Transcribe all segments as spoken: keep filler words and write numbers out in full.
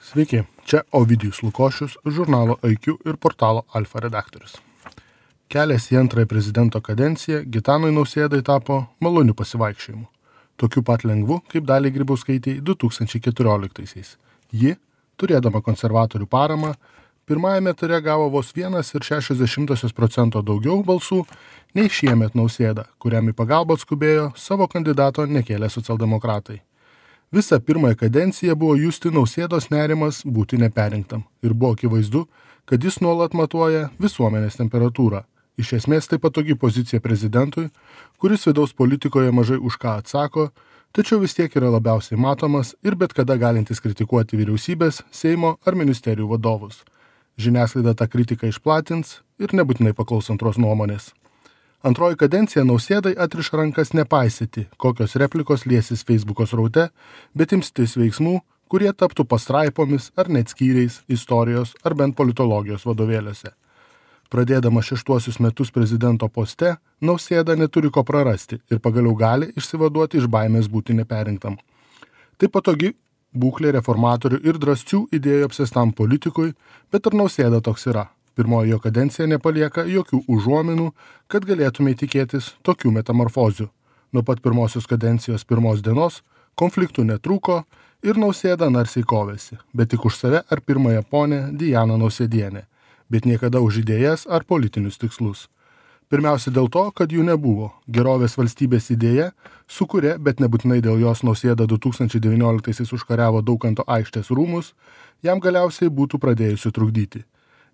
Sveiki, čia Ovidijus Lukošius, žurnalo I Q ir portalo Alfa redaktorius. Kelias į antrąją prezidento kadenciją Gitanui Nausėdai tapo maloniu pasivaikščiojimu, tokiu pat lengvu, kaip Daliai Grybauskaitei du tūkstančiai keturioliktaisiais. Ji, turėdama konservatorių paramą, pirmajame ture gavo vos vienas ir šešiasdešimtosios procento daugiau balsų nei šiemet Nausėda, kuriam į pagalbą atskubėjo savo kandidato nekėlę socialdemokratai. Visą pirmąją kadenciją buvo justi Nausėdos nerimas būti neperinktam ir buvo akivaizdu, kad jis nuolat matuoja visuomenės temperatūrą. Iš esmės tai patogi pozicija prezidentui, kuris vidaus politikoje mažai už ką atsako, tačiau vis tiek yra labiausiai matomas ir bet kada galintis kritikuoti vyriausybės, Seimo ar ministerijų vadovus. Žiniasklaida tą kritiką išplatins ir nebūtinai paklaus antros nuomonės. Antroji kadencija Nausėdai atriša rankas nepaisyti, kokios replikos liesis Facebooko sraute, bet imstis veiksmų, kurie taptų pastraipomis ar net skyriais istorijos ar bent politologijos vadovėliuose. Pradėdama šeštuosius metus prezidento poste, Nausėda neturi ko prarasti ir pagaliau gali išsivaduoti iš baimės būti neperinktam. Tai patogi būklė reformatorių ir drąsių idėjų apsėstam politikui, bet ar Nausėda toks yra? Pirmoji jo kadencija nepalieka jokių užuominų, kad galėtume tikėtis tokių metamorfozių. Nuo pat pirmosios kadencijos pirmos dienos konfliktų netrūko ir Nausėda narsiai kovėsi, bet tik už save ar pirmąją ponę Dianą Nausėdienę, bet niekada už idėjas ar politinius tikslus. Pirmiausia dėl to, kad jų nebuvo. Gerovės valstybės idėja, su kuria, bet nebūtinai dėl jos Nausėda du tūkstančiai devynioliktaisiais užkariavo Daukanto aikštės rūmus, jam galiausiai būtų pradėjusi trukdyti.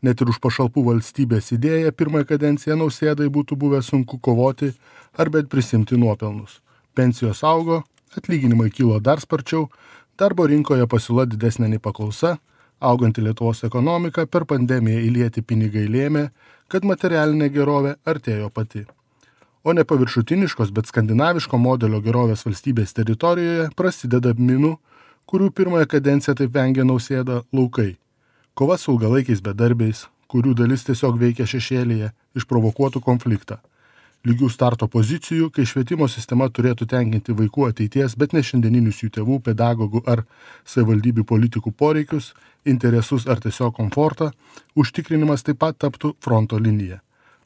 Net ir už pašalpų valstybės idėją pirmąją kadenciją Nausėdai būtų buvę sunku kovoti ar bet prisimti nuopelnus. Pensijos augo, atlyginimai kilo dar sparčiau, darbo rinkoje pasiūla didesnė nei paklausa, auganti Lietuvos ekonomika per pandemiją įlieti pinigai lėmė, kad materialinė gerovė artėjo pati. O ne paviršutiniškos, bet skandinaviško modelio gerovės valstybės teritorijoje prasideda minų, kurių pirmąją kadenciją taip vengia Nausėda, laukai. Kova su ilgalaikiais bedarbiais, kurių dalis tiesiog veikia šešėlyje, išprovokuotų konfliktą. Lygių starto pozicijų, kai švietimo sistema turėtų tenkinti vaikų ateities, bet ne šiandieninius jų tėvų, pedagogų ar savivaldybių politikų poreikius, interesus ar tiesiog komfortą, užtikrinimas taip pat taptų fronto linija.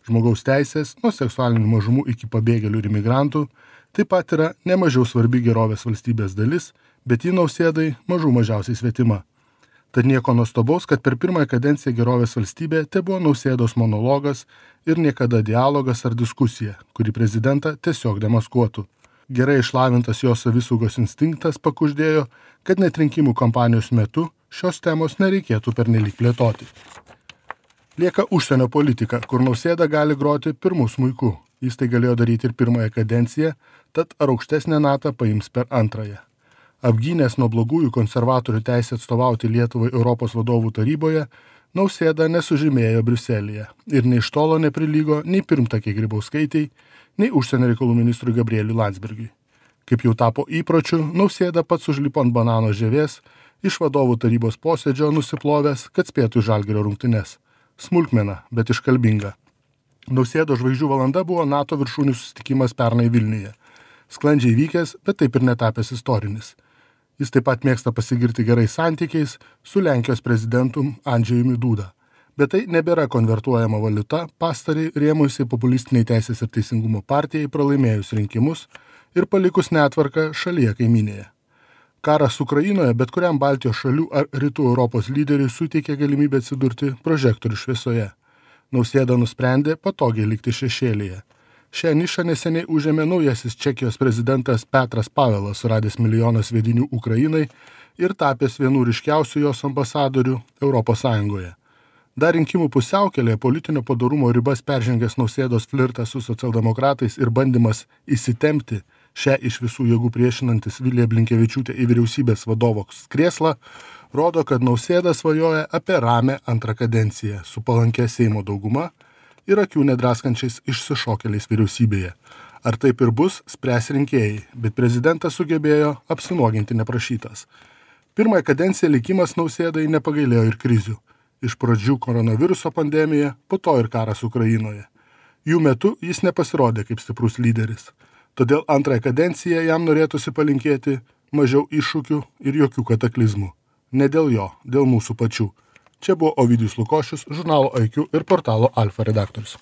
Žmogaus teisės, nuo seksualinių mažumų iki pabėgėlių ir imigrantų, taip pat yra nemažiau svarbi gerovės valstybės dalis, bet ji Nausėdai mažų mažiausiai svetima. Tad nieko nuostabaus, kad per pirmąją kadenciją gerovės valstybė te buvo Nausėdos monologas ir niekada dialogas ar diskusija, kuri prezidentą tiesiog demaskuotų. Gerai išlavintas jo savisaugos instinktas pakuždėjo, kad net rinkimų kampanijos metu šios temos nereikėtų pernelyg plėtoti. Lieka užsienio politika, kur Nausėda gali groti pirmų smuiku. Jis tai galėjo daryti ir pirmąją kadenciją, tad ar aukštesnę natą paims per antrąją. Apgynęs nuo blogųjų konservatorių teisę atstovauti Lietuvai Europos vadovų taryboje, Nausėda nesužymėjo Briuselyje ir nei iš tolo neprilygo nei pirmtakei Grybauskaitei, nei užsienio reikalų ministrui Gabrieliui Landsbergiui. Kaip jau tapo įpročiu, Nausėda pats užlipo ant banano žievės, iš vadovų tarybos posėdžio nusiplovęs, kad spėtų į Žalgirio rungtynes. Smulkmena, bet iškalbinga. Nausėdo žvaigždžių valanda buvo NATO viršūnių susitikimas pernai Vilniuje. Sklandžiai vykęs, bet taip ir netapęs istorinis. Jis taip pat mėgsta pasigirti gerais santykiais su Lenkijos prezidentu Andžejumi Duda. Bet tai nebėra konvertuojama valiuta, pastariai rėmusiai populistiniai Teisės ir teisingumo partijai pralaimėjus rinkimus ir palikus netvarką šalyje kaiminėje. Karas Ukrainoje bet kuriam Baltijos šalių ar Rytų Europos lyderiui suteikė galimybę atsidurti prožektorių šviesoje. Nausėda nusprendė patogiai likti šešėlyje. Šią nišą neseniai užėmė naujasis Čekijos prezidentas Petras Pavelas, suradęs milijoną sviedinių Ukrainai ir tapęs vienu ryškiausių jos ambasadorių Europos Sąjungoje. Dar rinkimų pusiaukelėje politinio padorumo ribas peržengęs Nausėdos flirtas su socialdemokratais ir bandymas įsitempti šią iš visų jėgų priešinantis Vilija Blinkevičiūtė į vyriausybės vadovo krėslą, rodo, kad Nausėda svajoja apie ramią antrą kadenciją su palankia Seimo dauguma ir akių nedraskančiais išsišokėliais vyriausybėje. Ar taip ir bus, spręs rinkėjai, bet prezidentas sugebėjo apsinuoginti neprašytas. Pirmąją kadenciją likimas Nausėdai nepagailėjo ir krizių. Iš pradžių koronaviruso pandemija, po to ir karas Ukrainoje. Jų metu jis nepasirodė kaip stiprus lyderis. Todėl antrąją kadenciją jam norėtųsi palinkėti mažiau iššūkių ir jokių kataklizmų. Ne dėl jo, dėl mūsų pačių. Čia buvo Ovidijus Lukošius, žurnalo I Q ir portalo Alfa redaktorius.